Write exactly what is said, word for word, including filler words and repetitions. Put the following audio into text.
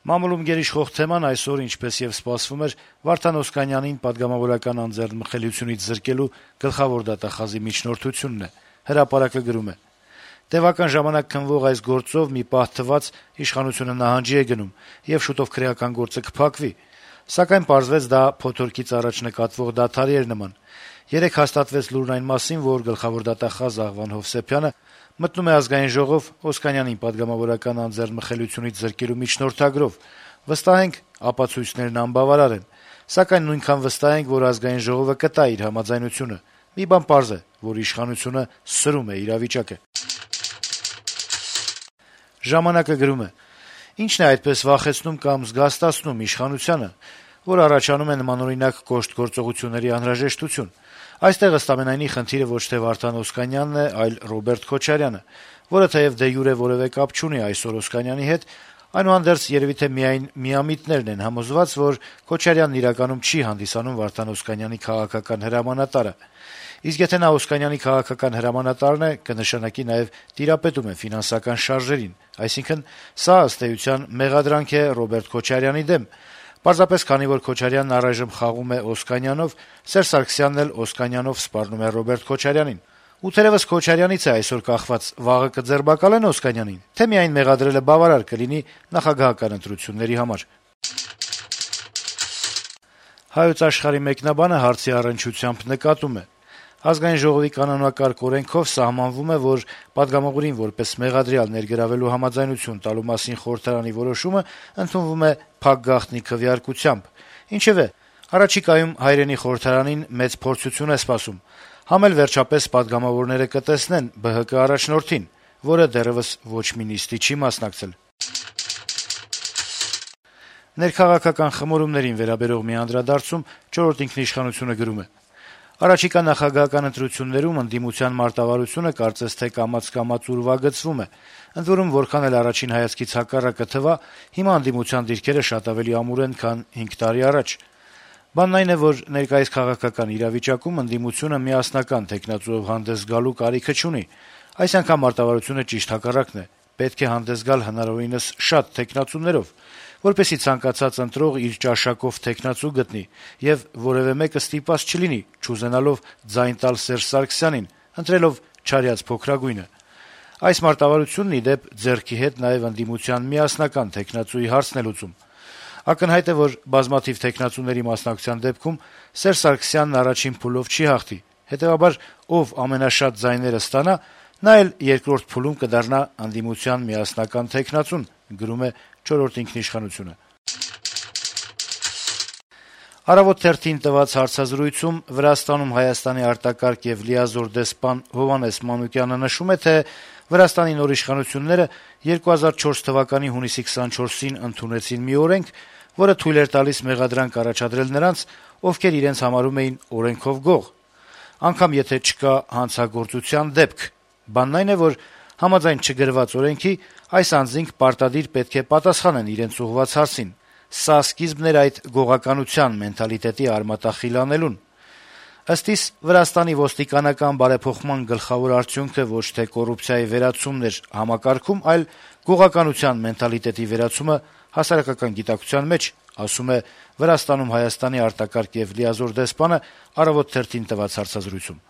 Մամուլում գերիշխող թեման այսօր, ինչպես եւ սպասվում էր, Վարդան Օսկանյանին պատգամավորական անձեռնմխելիությունից զրկելու գլխավոր դատախազի միջնորդությունն է։ Հրապարակը գրում է. - «Տեւական ժամանակ քննվող այս գործով մի պահ թվաց իշխանությունը նահանջի է գնում, եւ շուտով քրեական գործը կփակվի։ Սակայն պարզվեց դա փոթորկից առաջ նկատվող դադարի էր նման։ Երեկ հաստատվեց լուրն այն մասին, որ գլխավոր դատախազ Աղվան Հովսեփյանը մտնում է Ազգային ժողով Օսկանյանին պատգամավորական անձեռնմխելիությունից զրկելու միջնորդագրով։ Վստահ ենք, ապացույցներն անբավարար են, սակայն նույնքան վստահ ենք, որ Ազգային ժողովը կտա իր համաձայնությունը։ Մի բան պարզ է, որ իշխանությունը սրում է իրավիճակը»։ «Ժամանակ»-ը գրում է. - «Ինչն է այդպես վախեցնում կամ զգաստացնում իշխանությանը, որ առաջանում է նմանօրինակ կոշտ գործողությունների անհրաժեշտություն։ Այստեղ ըստ ամենայնի խնդիրը ոչ թե Վարդան Օսկանյանն է, այլ Ռոբերտ Քոչարյանը, որը թեեւ դե յուրե որեւէ կապ չունի այսօր Օսկանյանի հետ, այնուհանդերձ երեւի թե միայն միամիտներն են համոզված, որ Քոչարյանն իրականում չի հանդիսանում Վարդան Օսկանյանի քաղաքական հրամանատարը։ Իսկ եթե նա Օսկանյանի քաղաքական հրամանատարն է, կնշանակի նաեւ տիրապետում է ֆինանսական շարժերին, այսինքն սա ըստ էության մեղադրանք է Ռոբերտ Քոչարյանի դեմ։ Պարզապես քանի որ Քոչարյանն առայժմ խաղում է Օսկանյանով, Սերժ Սարգսյանն էլ Օսկանյանով սպառնում է Ռոբերտ Քոչարյանին։ Ու թերեւս Քոչարյանից է այսօր կախված՝ վաղը կձերբակալեն Օսկանյանին, թե միայն մեղադրելը բավարար կլինի նախագահական ընտրությունների համար»։ «Հայոց Աշխարհ»-ի մեկնաբանը հարցի առնչությամբ նկատում է. - «Ազգային ժողովի կանոնակարգ օրենքով սահմանվում է, որ պատգամավորին որպես մեղադրյալ ներգրավելու համաձայնություն տալու մասին խորհրդարանի որոշումը ընդունվում է փակ գաղտնի քվեարկությամբ։ Ինչեւէ, առաջիկայում հայրենի խորհրդարանին մեծ փորձություն է սպասում։ Համ էլ վերջապես պատգամավորները կտեսնեն Բ Հ Կ առաջնորդին, որը դեռեւս ոչ մի նիստի չի մասնակցել»։ Ներքաղաքական խմորումներին վերաբերող մի անդրադարձում «Չորրորդ ինքնիշխանություն»-ը գրում է. - «Առաջիկա նախագահական ընտրություններում ընդդիմության մարտավարությունը կարծես թե կամաց-կամաց ուրվագծվում է։ Ընդ որում, որքան էլ առաջին հայացքից հակառակը թվա, հիմա ընդդիմության դիրքերը շատ ավելի ամուր են, քան հինգ տարի առաջ։ Բանն այն է, որ ներկայիս քաղաքական իրավիճակում ընդդիմությունը միասնական թեկնածուով հանդես գալու կարիքը չունի։ Այս անգամ մարտավարությունը ճիշտ հակառակն է. պետք է հանդես գալ հնարավորինս շատ թեկնածուներով, որպեսզի ցանկացած ընտրող իր ճաշակով թեկնածու գտնի, եւ որեւէ մեկը ստիպված չլինի, չուզենալով ձայն տալ Սերժ Սարգսյանին, ընտրելով չարյաց փոքրագույնը։ Այս մարտավարությունն, ի դեպ, ձեռքի հետ նաեւ ընդդիմության միասնական թեկնածուի հարցն է լուծում։ Ակնհայտ է, որ բազմաթիվ թեկնածուների մասնակցության դեպքում Սերժ Սարգսյանն առաջին փուլով չի հաղթի, հետեւաբար ով ամենաշատ ձայները ստանա, նա էլ երկրորդ փուլում կդառնա ընդդիմության միասնական թեկնածուն», գրում է «Չորրորդ ինքնիշխանություն»-ը։ «Առավոտ» թերթին տված հարցազրույցում Վրաստանում Հայաստանի արտակարգ եւ լիազոր դեսպան Հովհաննես Մանուկյանը նշում է, թե Վրաստանի նոր իշխանությունները երկու հազար չորս թվականի հունիսի քսանչորսին ընդունեցին մի օրենք, որը թույլ էր տալիս մեղադրանք առաջադրել նրանց, ովքեր իրենց համարում էին օրենքով գող, անգամ եթե չկա հանցագործության դեպք։ Բանն այն է, որ համաձայն չգրված օրենքի այս անձինք պարտադիր պետք է պատասխանեն իրենց ուղղված հարցին։ Սա սկիզբն էր այդ գողականության մենթալիտետի արմատախիլ անելուն։ Ըստ իս, Վրաստանի ոստիկանական բարեփոխման գլխավոր արդյունքը ոչ թե կոռուպցիայի վերացումն էր համակարգում, այլ գողականության մենթալիտետի վերացումը հասարակական գիտակցության մեջ, ասում է Վրաստանում Հայաստանի արտակարգ եւ լիազոր դեսպանը «Առավոտ» թերթին տված հարցազրույցում։